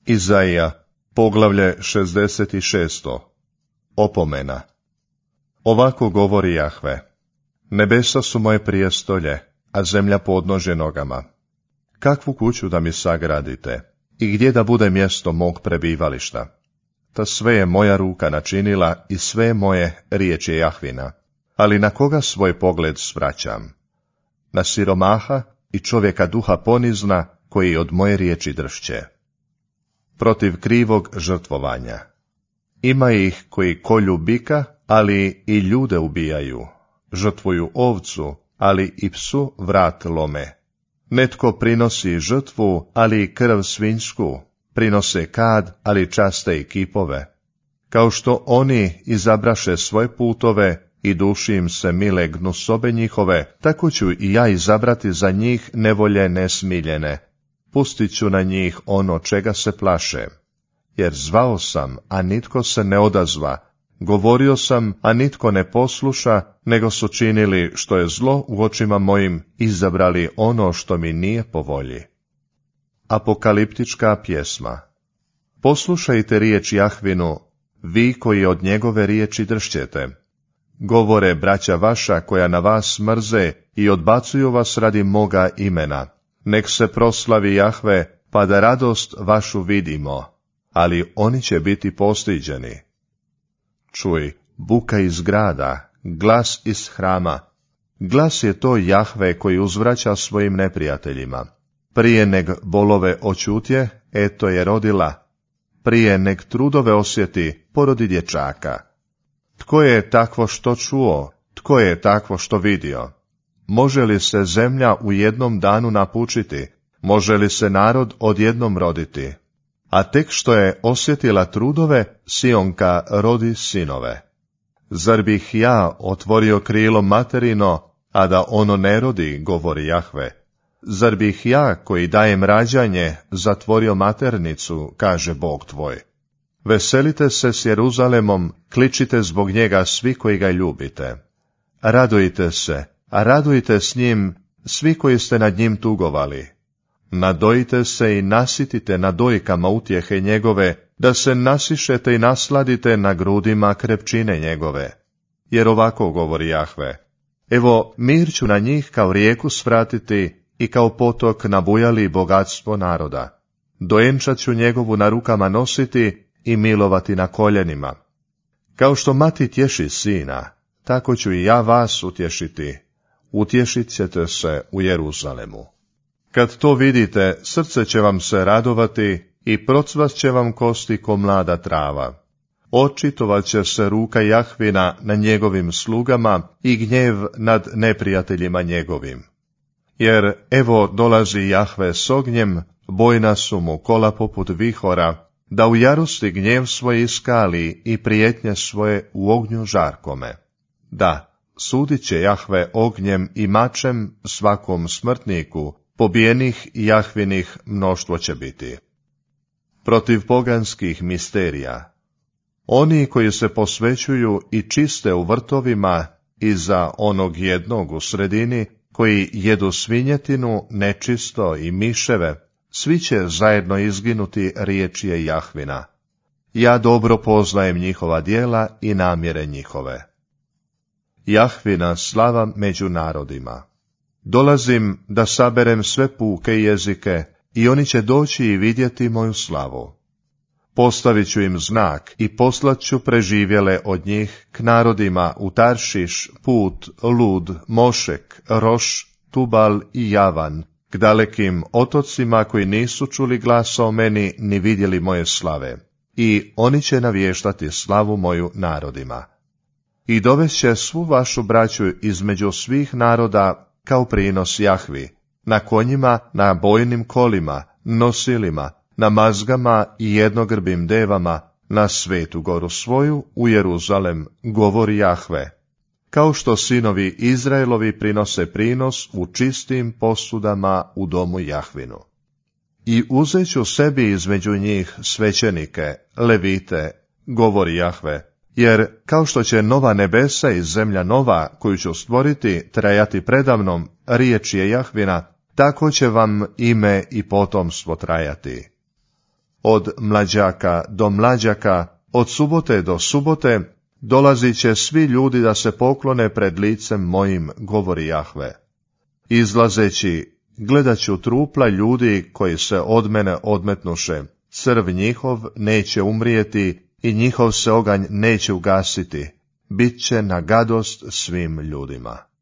Izaija, poglavlje 66. Opomena. Ovako govori Jahve: nebesa su moje prijestolje, a zemlja podnožje nogama. Kakvu kuću da mi sagradite i gdje da bude mjesto mog prebivališta? Ta sve je moja ruka načinila i sve je moje riječ je Jahvina. Ali na koga svoj pogled svraćam? Na siromaha i čovjeka duha ponizna, koji od moje riječi dršće. Protiv krivog žrtvovanja. Ima ih koji kolju bika, ali i ljude ubijaju. Žrtvuju ovcu, ali i psu vrat lome. Netko prinosi žrtvu, ali i krv svinjsku. Prinose kad, ali časte i kipove. Kao što oni izabraše svoje putove i duši im se mile gnusobe njihove, tako ću i ja izabrati za njih nevolje nesmiljene. Pustit ću na njih ono čega se plaše. Jer zvao sam, a nitko se ne odazva. Govorio sam, a nitko ne posluša, nego su činili što je zlo u očima mojim, izabrali ono što mi nije po volji. Apokaliptička pjesma. Poslušajte riječ Jahvinu, vi koji od njegove riječi dršćete. Govore braća vaša koja na vas mrze i odbacuju vas radi moga imena. Nek se proslavi Jahve, pa da radost vašu vidimo, ali oni će biti postiđeni. Čuj, buka iz grada, glas iz hrama. Glas je to Jahve koji uzvraća svojim neprijateljima. Prije neg bolove očutje, eto je rodila. Prije neg trudove osjeti, porodi dječaka. Tko je takvo što čuo? Tko je takvo što vidio? Može li se zemlja u jednom danu napučiti? Može li se narod odjednom roditi? A tek što je osjetila trudove, Sionka rodi sinove. Zar bih ja otvorio krilo materino, a da ono ne rodi, govori Jahve? Zar bih ja, koji dajem rađanje, zatvorio maternicu, kaže Bog tvoj? Veselite se s Jeruzalemom, kličite zbog njega svi koji ga ljubite. Radujte se, a radujte s njim svi koji ste nad njim tugovali. Nadojite se i nasitite na dojkama utjehe njegove, da se nasišete i nasladite na grudima krepčine njegove. Jer ovako govori Jahve: evo, mir ću na njih kao rijeku svratiti i kao potok nabujali bogatstvo naroda. Dojenčat ću njegovu na rukama nositi i milovati na koljenima. Kao što mati tješi sina, tako ću i ja vas utješiti. Utješit ćete se u Jeruzalemu. Kad to vidite, srce će vam se radovati i procvast će vam kosti ko mlada trava. Očitovat će se ruka Jahvina na njegovim slugama i gnjev nad neprijateljima njegovim. Jer evo dolazi Jahve s ognjem, bojna su mu kola poput vihora, da u jarosti gnjev svoj iskali i prijetnje svoje u ognju žarkome. Da, sudit će Jahve ognjem i mačem svakom smrtniku, pobijenih Jahvinih mnoštvo će biti. Protiv poganskih misterija. Oni koji se posvećuju i čiste u vrtovima iza onog jednog u sredini, koji jedu svinjetinu, nečisto i miševe, svi će zajedno izginuti, riječ je Jahvina. Ja dobro poznajem njihova djela i namjere njihove. Jahvina slava među narodima. Dolazim da saberem sve puke jezike i oni će doći i vidjeti moju slavu. Postavit ću im znak i poslat ću preživjele od njih k narodima u Taršiš, Put, Lud, Mošek, Roš, Tubal i Javan, k dalekim otocima koji nisu čuli glasa o meni ni vidjeli moje slave. I oni će navještati slavu moju narodima. I dovešće svu vašu braću između svih naroda kao prinos Jahvi, na konjima, na bojnim kolima, nosilima, na mazgama i jednogrbim devama, na svetu goru svoju, u Jeruzalem, govori Jahve. Kao što sinovi Izraelovi prinose prinos u čistim posudama u domu Jahvinu. I uzet ću sebi između njih svećenike, levite, govori Jahve, jer kao što će nova nebesa i zemlja nova, koju ću stvoriti, trajati predamnom, riječ je Jahvina, tako će vam ime i potomstvo trajati. od mlađaka do mlađaka, od subote do subote, dolazit će svi ljudi da se poklone pred licem mojim, govori Jahve. Izlazeći, gledat ću trupla ljudi koji se od mene odmetnuše, crv njihov neće umrijeti i njihov se oganj neće ugasiti, bit će na gadost svim ljudima.